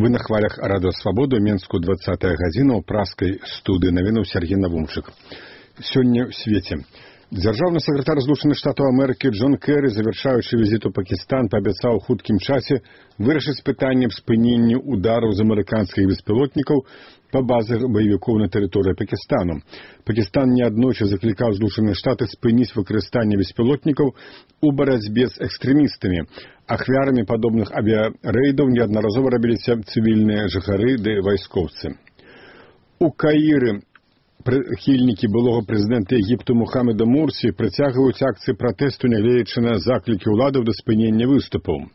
Вы на хвалях радыё Свабода, Менску 20-я гадзіна ў праскай студыі навінаў Сергей Навумчык. Сёння ў свеце. Дзяржаўны сакратар Злучаных Штатаў Амерыкі Джон Керрі, завяршаючы візіт у Пакістан, паабяцаў у хуткім часе вырашыць пытанне спынення удараў з амерыканскіх беспілотнікаў па базах баевікоў на тэрыторыі Пакістану. Пакістан неаднойчы заклікаў Злучаныя Штаты спыніць выкарыстанне беспілотнікаў у барацьбе з экстрэмістамі. Ахвярамі падобных авіарэйдаў неаднаразова рабіліся цывільныя жыхары ды вайскоўцы. У Каіры прыхільнікі былога прэзідэнта Егіпту Мухаммеда Мурсі працягваюць акцыі пратэсту, нягледзячы на заклікі ўладаў да спынення выступаў.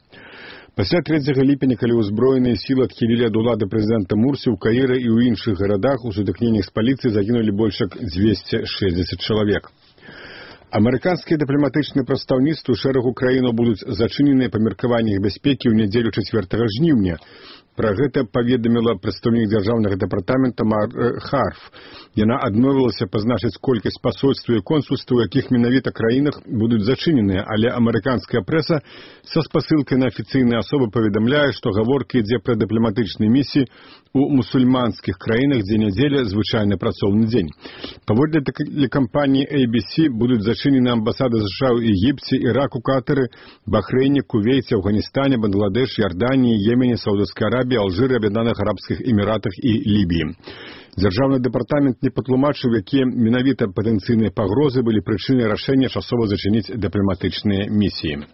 Пасля 3 ліпеня, калі ўзброеныя сілы адхілілі ад улады прэзідэнта Мурсі, у Каіры і ў іншых гарадах у сутыкненнях з паліцыяй загінулі больш як 260 чалавек. Амерыканскія дыпламатычныя прадстаўніцтвы шэрагу краінаў будуць зачыненыя па меркаваннях бяспекі ў нядзелю 4 жніўня. Пра гэта паведаміла прадстаўнік дзяржаўнага дэпартамента Мар Харф. Яна адмовілася пазначыць колькасць пасольстваў і консульстваў, у якіх менавіта краінах будуць зачыненыя, але амерыканская прэса са спасылкай на афіцыйныя асобы паведамляе, што гаворка ідзе пра дыпламатычныя місіі у мусульманскіх краінах, дзе нядзеля звычайны працоўны дзень. Паводле тэлекампаніі ABC будуць зачынены амбасады США ў Егіпце, Іраку, Катары, Бахрэйне, Кувейце, Афганістане, Бангладеш, Ярданіі, Йемене, Саудаўскай Арабіі, Алжыры, Аб'яднаных Арабскіх Эміратах і Лібіі. Дзяржаўны дэпартамент не патлумачыў, якія менавіта патэнцыйныя пагрозы былі прычынай рашэння часова зачыніць дыпламатычныя місіі.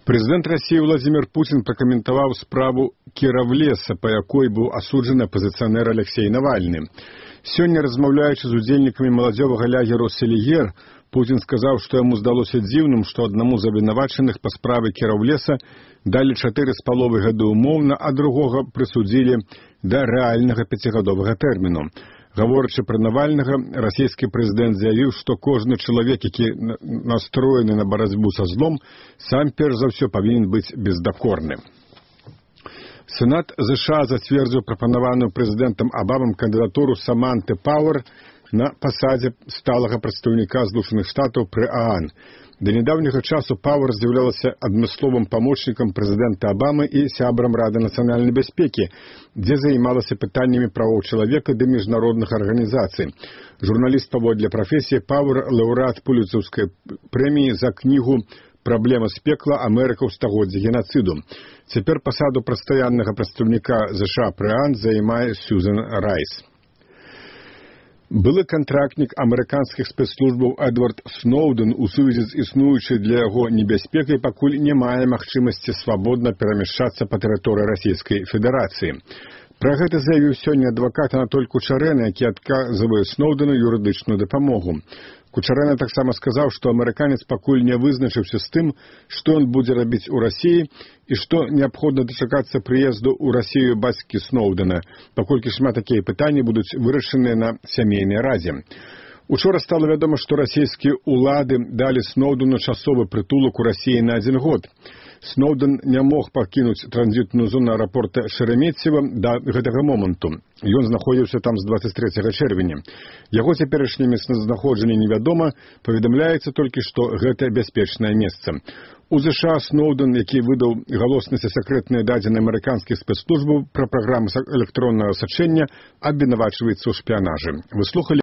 Прэзідэнт Расіі Владзімір Пуцін пракаментаваў справу Кіравлеса, па якой быў асуджаны апазіцыянер Алексей Навальны. Сёння, размаўляючы з удзельнікамі маладзёвага лагеру «Селігер», Пуцін сказаў, што яму здалося дзіўным, што аднаму з абвінавачаных па справе Кіравлеса далі 4,5 гады ўмоўна, а другога прысудзілі да рэальнага 5гадовага тэрміну. Гаворачы пра Навальнага, расійскі прэзідэнт заявіў, што кожны чалавек, які настроены на барацьбу са злом, сам перш за ўсё павінен быць бездакорны. Сенат США зацвердзіў прапанаваную прэзідэнтам Абамам кандыдатуру Саманты Пауэр на пасадзе сталага прадстаўніка Злучаных Штатаў пры ААН. Да нядаўняга часу Пауэр з'яўлялася адмысловым памочнікам прэзідэнта Абамы і сябрам Рады нацыянальнай бяспекі, дзе займалася пытаннямі правоў чалавека ды міжнародных арганізацый. Журналіст паводле прафесіі Пауэр – лаўрэат Пуліцаўскай прэміі за кнігу «Праблема з пекла. Амерыка ў стагоддзі генацыду». Цяпер пасаду пастаяннага прадстаўніка США пры ААН займае Сьюзен Райс. Былы кантрактнік амерыканскіх спецслужбаў Эдвард Сноўдэн у сувязі з існуючай для яго небяспекай пакуль не мае магчымасці свабодна перамяшчацца па тэрыторыі Расійскай Федэрацыі. Пра гэта заявіў сёння адвакат Анатоль Кучарэна, які адказвае Сноўдэну юрыдычную дапамогу. Кучарэна таксама сказаў, што амерыканец пакуль не вызначыўся з тым, што ён будзе рабіць у Расіі і што неабходна дачакацца прыезду ў Расію бацькі Сноўдэна, паколькі шмат такія пытанні будуць вырашаныя на сямейнай радзе. Учора стала вядома, што расійскія ўлады далі Сноўдэну часовы прытулак у Расіі на 1 год. Сноўдэн не мог пакінуць транзітную зону аэрапорта Шереметьева да гэтага моманту. Ён знаходзіўся там з 23 чэрвеня. Яго цяперашняе месцазнаходжанне невядома, паведамляецца толькі, што гэта бяспечнае месца. У ЗША Сноўдэн, які выдаў галоснасць і сакрэтныя дадзеныя амерыканскіх спецслужбаў пра праграму электроннага сачэння, абвінавачваецца ў шпіянажы. Вы слухалі